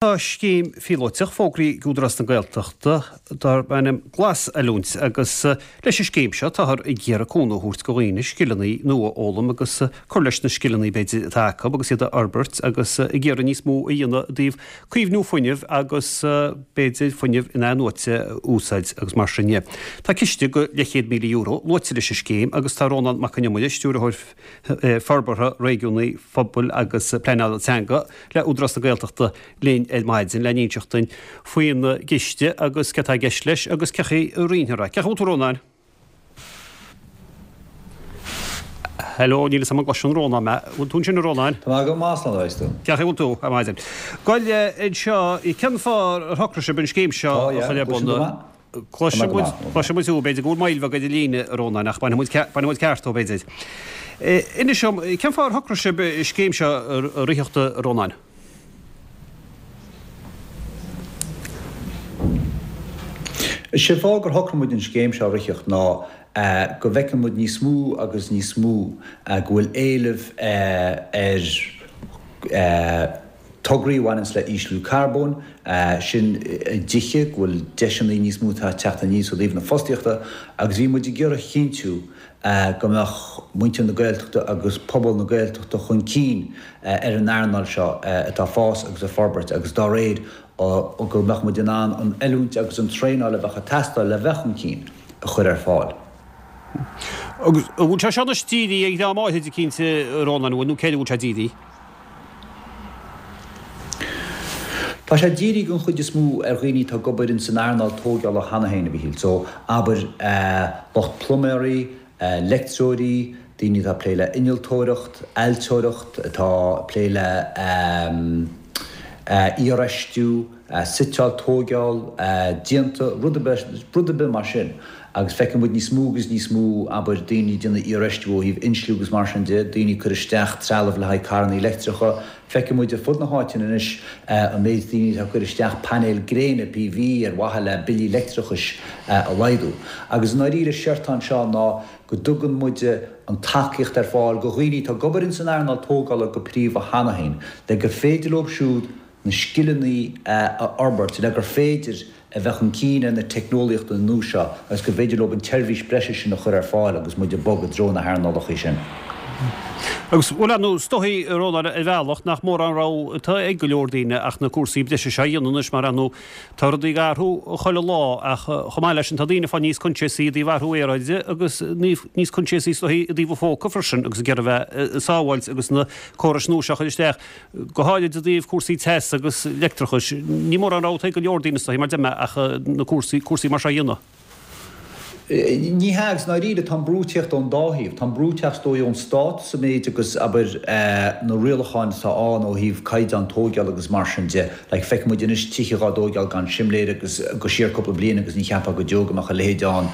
Tá scéim phíolóiteach fógraithe ag Údarás na Gaeltachta darb ainm Glas-Oiliúint agus leis an scéim seo táthar ag iarraidh cúnamh a thabhairt do dhaoine scileanna nua a fhoghlaim agus cur leis na scileanna b'fhéidir atá acu agus iad a fhorbairt agus ag iarraidh níos mó a dhéanamh i dtaobh caomhnú fuinnimh agus b'fhéidir fuinneamh in-athnuaite a úsáid agus mar sin de. Tá ciste de leathchéad €1,000 luaite leis an scéim agus tá Rónán Mac Con Iomaire, Stiúrthóir Forbartha Réigiúnaí, Pobail agus Pleanála Teanga le Údarás na Gaeltachta linn ar maidin le n-inseacht duinn faoin gciste agus céard atá i gceist leis agus cén chaoi a roinnfear é. Cén chaoi a bhfuil tú a Rónáin? Hello, níl fhios agam an gcloiseann Rónán mé. Bhfuil tú ansin a Rónáin? Tá mé go maith, slán a tú. Cén chaoi a bhfuil tú ar maidin? Gabh i leith anseo, cén fáth ar shocraigh sibh an scéim seo a chur ar bun? Cloiseann muid, cloiseann muid thú, b'fhéidir go bhfuil moill bheag ar an líne, a Rónáin, ach bainfidh muid, bainfidh muid ceart thú, b'fhéidir. Inis dom, cén fáth ar shocraigh sibh an scéim seo a ritheacht, a Rónáin? Is é an fáth gur shocraigh muid an scéim seo a ritheacht ná go bhfeiceann muid níos mó agus níos mó go bhfuil éileamh ar tograí a bhaineanns le ísliú carbóin, sin i dtithe, go bhfuil deiseanna níos mó atá ag teacht aníos ó thaobh na fostaíochta agus bhí muid ag iarraidh a chinntiú go mbeadh muintir na Gaeltachta agus pobal na Gaeltachta chun cinn ar an earnáil seo atá ag fás agus ag forbairt agus dá réir go mbeadh muid in ann an oiliúint agus an traenáil a bheadh ag teastáil le bheith chun cinn a chur ar fáil. Agus an bhfuil sé seo anois dírithe ar dhream áithrid eicínt, a Rónáin, an bhfuil, nó cé air a bhfuil sé dírithe? Tá sé dírithe den chuid is mó ar dhaoine atá ag obair ins an earnáil tóigeála cheana féin, a Mhíchíl. So, abair, lucht pluiméirí, leictreoirí, daoine atá ag plé le innealtóireacht, ailtireacht, atá ag plé le iarfheistiú, suiteáil, tóigeáil, díonta, rud ar bith, rud ar bith mar sin. Agus feiceann muid níos mó agus níos mó, abair, daoine ag déanamh iarfheistiú ó thaobh insliú agus mar sin de, daoine ag cur isteach trealamh le haghaidh carrannaí leictreacha. Feiceann muid ar fud na háite anois an méid daoine atá ag cur isteach painéil gréine, PV, ar mhaithe le billí leictreachais a laghdú. Agus i ndáiríre, séard atá anseo ná go dtugann muide an tacaíocht ar fáil go dhaoine atá ag obair ins an earnáil tógála go príomha cheana féin, le gur féidir leo siúd na scileanna a fhorbairt le gur féidir a bheith chun cinn ar na teicneolaíochtaí nua seo agus gur féidir leo an tseirbhís breise sin a chur ar fáil agus muid ag bogadh i dtreo na hearnálacha sin. Agus, bhuel, ar ndóigh, is dóichí, a Rónáin, ar bhealach nach mórán rogha atá ag go leor daoine ach na cúrsaí breise seo a dhéanamh anois mar, ar ndóigh, tá rudaí ag athrú chuile lá ach chomh maith leis sin tá daoine ag fáil níos coinsiasaí i dtaobh athrú aeráide agus níos coinsiasaí is dóichí i dtaobh a phóca freisin agus ag iarraidh a bheith sábháilte agus na córais nua seo a chur isteach. Go háirid i dtaobh cúrsaí teas agus leictreachais. Ní mórán rogha atá ag go leor daoine is dóichí, mar deir mé, ach na cúrsaí, cúrsaí mar seo a dhéanamh. Ní hea, agus i ndáiríre tá an brú ag tíocht ón dá thaobh. Tá an brú ag teacht is dóigh ón stát sa méid agus, abair, na rialacháin atá ann ó thaobh caighdeán tóigeála agus mar sin de. Like, feiceann muid anois tithe dhá dtóigeáil gan simléir agus go siar cúpla bliain agus ní cheapfá go deo go mbeadh a leithéid ann.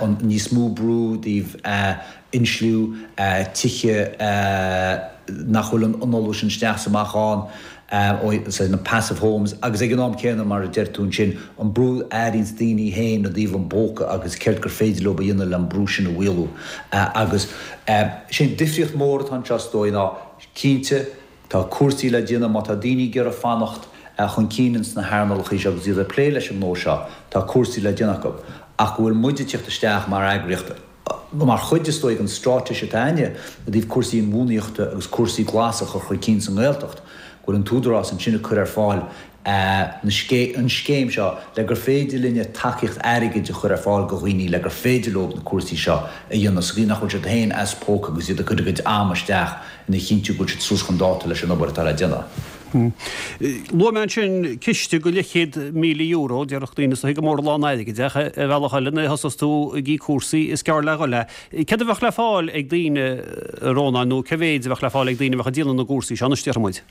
An níos mó brú i dtaobh insliú tithe nach bhfuil an análú sin isteach is amach ann, na passive homes, agus ag an am céanna, mar a deir tú ansin, an brú a airíonns daoine féin i dtaobh an phóca agus céard gur féidir leo a dhéanamh le an brú sin a mhaolú. Agus sé an difríocht mhór atá anseo is dóigh ná, cinnte, tá cúrsaí le déanamh má tá daoine ag iarraidh fanacht chun cinn ins na hearnálacha seo agus iad ag plé leis an ngnó seo, tá cúrsaí le déanamh acu. Ach go bhfuil muid ag tíocht isteach mar eagraíocht, Mar chuid, is dóigh, den straitéis atá againne i dtaobh cúrsaí inbhuanaíochta agus cúrsaí glasa a chur chun cinn sa nGaeltacht, go bhfuil an tÚdarás ansin ag cur ar fáil an scéim seo le gur féidir linne tacaíocht airgid a chur ar fáil go dhaoine le gur féidir leo na cúrsaí seo a dhéanamh sa gcaoi nach bhfuil siad féin as póca agus iad ag cur a gcuid ama isteach ina chinntiú go bhfuil siad suas chun dáta leis an obair atá le déanamh. Luaigh mé ansin ciste de leathchéad €1,000, déarfadh daoine is dóichí gur mór a lán airgid é, ach ar bhealach eile nuair a thosós tú ag íoc cúrsaí is gearr le dhul é. Céard a bheadh le fáil ag daoine, a Rónáin, nó cé mhéid a bheadh le fáil ag daoine a bheadh ag déanamh na gcúrsaí seo anois, déarfaidh muid?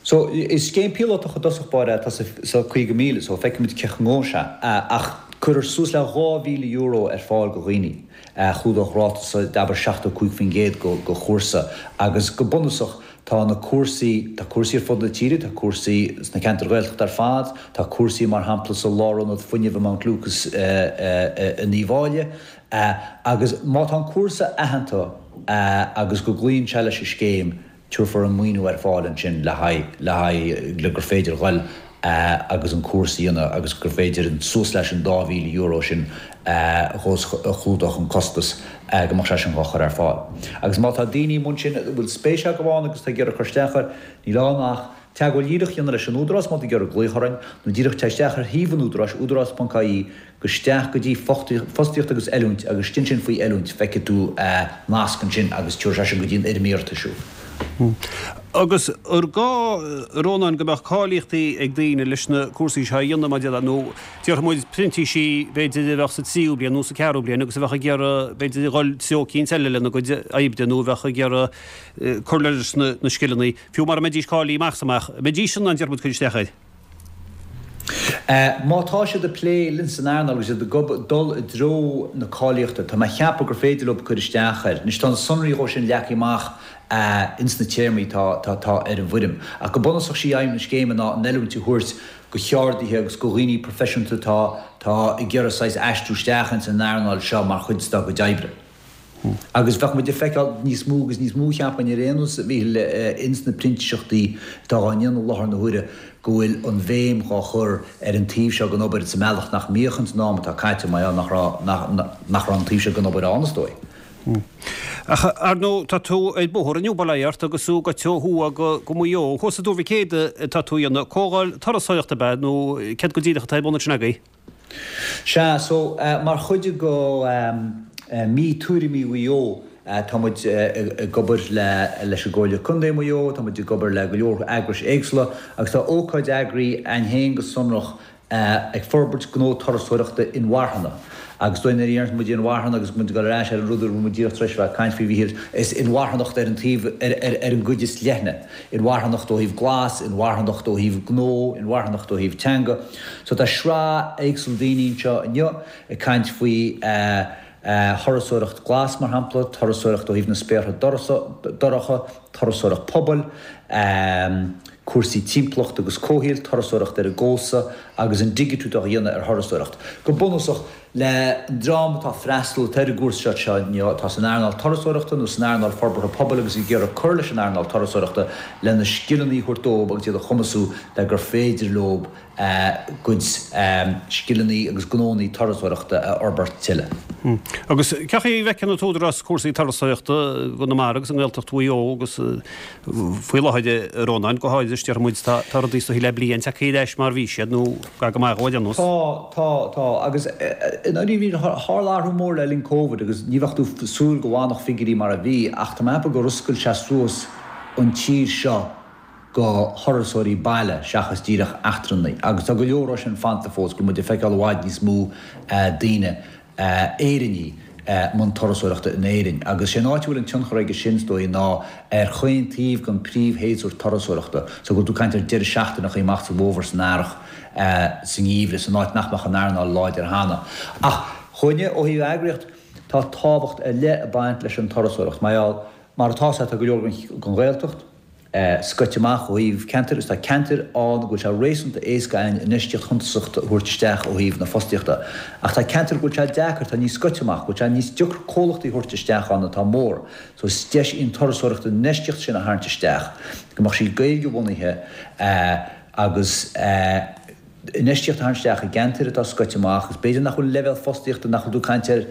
So, is scéim píolótach i dtosach báire atá sa 50,000, so feicfimid cén chaoi a ngabhfaidh sé, ach cuirfear suas le €2,000 ar fáil go dhaoine. Chlúdódh ráta d'abair 75% go chúrsa agus go bunúsach tá na cúrsaí, tá cúrsaí ar fud na tíre, tá cúrsaí sna ceantair Ghaeltachta ar fad, tá cúrsaí mar shampla sa Lárionad Fuinnimh i Mount Lucas in Uíbh Fhailí agus má tá an cúrsa aitheanta agus go gcloíonn sé leis an scéim. tabharfar an maoiniú ar fáil ansin le haghaidh, le haghaidh, le gur féidir dhul agus an cúrsa a dhéanamh agus gur féidir an, suas leis an €2,000 sin a chlúdódh an costas, go mbeadh sé sin dhá chur ar fáil. Agus má tá daoine i mbun sin a bhfuil spéis acu ann agus atá ag iarraidh cur isteach air, níl ann ach teagmháil dhíreach a dhéanamh leis an Údarás má tá ag iarraidh glaoch orainn, nó díreach téigh isteach ar shuíomh an Údaráis, údarás.ie, Gabh isteach go dtí Fostaíocht agus Oiliúint agus istigh ansin faoi Oiliúint feicfidh tú nasc ansin agus tabharfaidh sé sin go dtí an fhoirm iarratais thú. Agus ar gá, a Rónáin, go mbeadh cáilíochtaí ag daoine leis na cúrsaí seo a dhéanamh mar déarfá, nó déarfaidh muid printísí b'fhéidir a bheadh sa tríú bliain nó sa ceathrú bliain agus a bheadh ag iarraidh b'fhéidir a dhul treo eicínt eile lena gcuid oibre nó a bheadh ag iarraidh cur leis na scileanna, fiú mara mbeidís cáilithe amach is amach, an mbeidís in ann déarfaidh muid cur isteach air? Má tá siad ag plé linn san earnáil agus iad ag dul i dtreo na cáilíochta, tá mé a cheapadh gur féidir leo cur isteach air. Anois tá na sonraí dhó sin leagtha amach ins na téarmaí atá atá ar an bhfoirm. Ach go bunúsach sí aidhm na scéime ná an oiliúint a thabhairt go cheardaithe agus go dhaoine proifisiúnta atá atá ag iarraidh saghas aistriú isteach ins an earnáil seo mar chuid dá gcuid oibre. Agus bheadh muid ag feiceáil níos mó agus níos mó, cheapfainn, ar aon nós, a Mhíchíl, ins na printíseachtaí atá á ndéanamh i láthair na huaire, go bhfuil an bhéim dhá chur ar an taobh seo den obair sa mbealach nach mbíodh ins an am atá caite, mar gheall nach raibh, nach raibh an taobh seo den obair ann, is dóigh. Ach, ar ndóigh, tá tú ar bóthar inniu, bail ó Dhia ort, agus tú ag goil ó thuaidh go, go Maigh Eo. Thuas i dTuar Mhic Éadaigh atá tú a dhéanamh. Comhdháil turasóireachta ab ea, nó céard go díreach atá ar bun ansin agaibh? Sea, so, mar chuid de Mí Tuairimí Mhaigh Eo, tá muid ag obair leis an gComhairle Contae Mhaigh Eo, tá muid ag obair le go leor eagrais éagsúla agus tá ócáid eagraithe againn féin go sonrach ag forbairt gnó turasóireachta inmharthana. Agus dóigh nuair a deireann muid inmharthana agus muid ag dul ar ais ar an rud a raibh muid díreach tar éis a bheith ag caint faoi, a Mhíchíl, is inmharthanacht ar an taobh, ar an gcuid is leithne. Inmharthanacht ó thaobh glas, inmharthanacht ó thaobh gnó, inmharthanacht ó thaobh teanga. So tá sraith éagsúil daoine anseo inniu ag caint faoi thurasóireacht glas, mar shampla, turasóireacht ó thaobh na spéartha dorcha, turasóireacht pobail, cúrsaí timpeallachta agus comhshaoil, turasóireacht ar an gcósta agus an digitiú atá á dhéanamh ar thurasóireacht. Go bunúsach, le an dream atá ag freastal atá ar an gcúrsa seo inniu, atá san earnáil turasóireachta nó san earnáil forbartha pobail agus ag iarraidh cur leis an earnáil turasóireachta lena scileanna a thabhairt dóibh agus iad a chumasú le gur féidir leo a gcuid scileanna agus gnónna turasóireachta a fhorbairt tuilleadh. Agus cén chaoi a bhfeiceann an tÚdarás cúrsaí turasóireachta i gConamara agus i nGaeltacht Mhaigh Eo agus faoi láthair, a Rónáin, go háirithe, déarfaidh muid, tá rudaí is dóichí le bliain tagtha ar ais mar a bhí siad nó gar go maith dhó ar aon nós. Tá, tá, tá. Agus i ndáiríre, tharla athrú mór le linn Covid agus ní bheadh tú ag súil go bhfanfadh figiúirí mar a bhí ach tá mé ag ceapadh gur oscail sé suas an tír seo go thurasóirí baile seachas díreach eachtrannaigh agus tá go leor dhó sin fanta fós, go bhfuil muid ag feiceáil i bhfad níos mó daoine Éireannaigh i mbun turasóireachta in Éirinn. Agus sé an áit a bhfuil an tionchar aige sin, is dóigh, ná ar chaon taobh den príomhshéasúr turasóireachta. So go bhfuil tú ag caint ar deireadh seachtaineacha amach sa bhfómhar, san earrach, sa ngeimhreadh, san áit nach mbeadh an earnáil láidir cheana. Ach chugainne, ó thaobh eagraíocht, tá tábhacht ar leith ag baint leis an turasóireacht. Mar gheall, mar atá, tá go leor den Ghaeltacht, scoite amach ó thaobh ceantair agus tá ceantair ann go bhfuil sé réasúnta éasca againn infheistíocht shuntasach a thabhairt isteach ó thaobh na fostaíochta. Ach tá ceantair go bhfuil sé deacair, atá níos scoite amach, go bhfuil sé níos deacra comhlachtaí a thabhairt isteach ann atá mór. So is deis í an turasóireacht an infheistíocht sin a tharraingt isteach, go mbeadh sí Gaeilge-bhunaithe agus infheistíocht a tharraingt isteach i gceantair atá scoite amach agus b'fhéidir nach bhfuil an leibhéal fostaíochta, nach bhfuil tú ag caint ar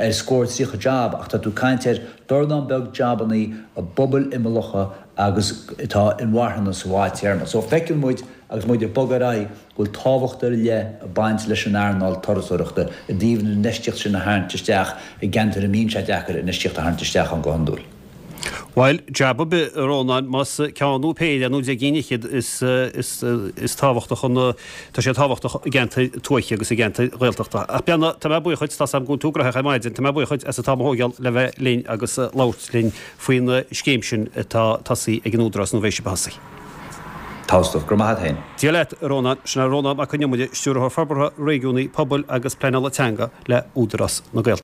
ar scór 30 jab ach tá tú ag caint ar dornán beag jabannaí i bpobail imeallacha agus atá inmharthana sa bhfadtéarma. So feiceann muid agus muid ag bogadh ar aghaidh go bhfuil tábhacht ar leith ag baint leis an earnáil turasóireachta i dtaobh an infheistíocht sin a tharraingt isteach i gceantair a mbíonn sé deacair infheistíocht a tharraingt isteach ann go hiondúil. Bhuel, jab ar bith, a Rónáin, más ceann nó péire nó 10 gcinn fhichead, is, is, is tábhachtach an, tá sé tábhachtach i gceantair tuaithe agus i gceantair Ghaeltachta. Ach Beanna, tá mé buíoch dhuit, tá's agam go bhfuil tú gnóthach ar maidin, tá mé buíoch dhuit as an t-am a thógáil le bheith linn agus labhairt linn faoin scéim sin atá tosaithe ag an Údarás nó a bheidh sibh a thosaí. Tá stuif. Go raibh maith a't féin. Dia leat, a Rónáin. Sin é Rónán Mac Con Iomaire, Stiúrthóir Forbartha Réigiúnaí, Pobail agus Pleanála Teanga le Údarás na Gaeltachta.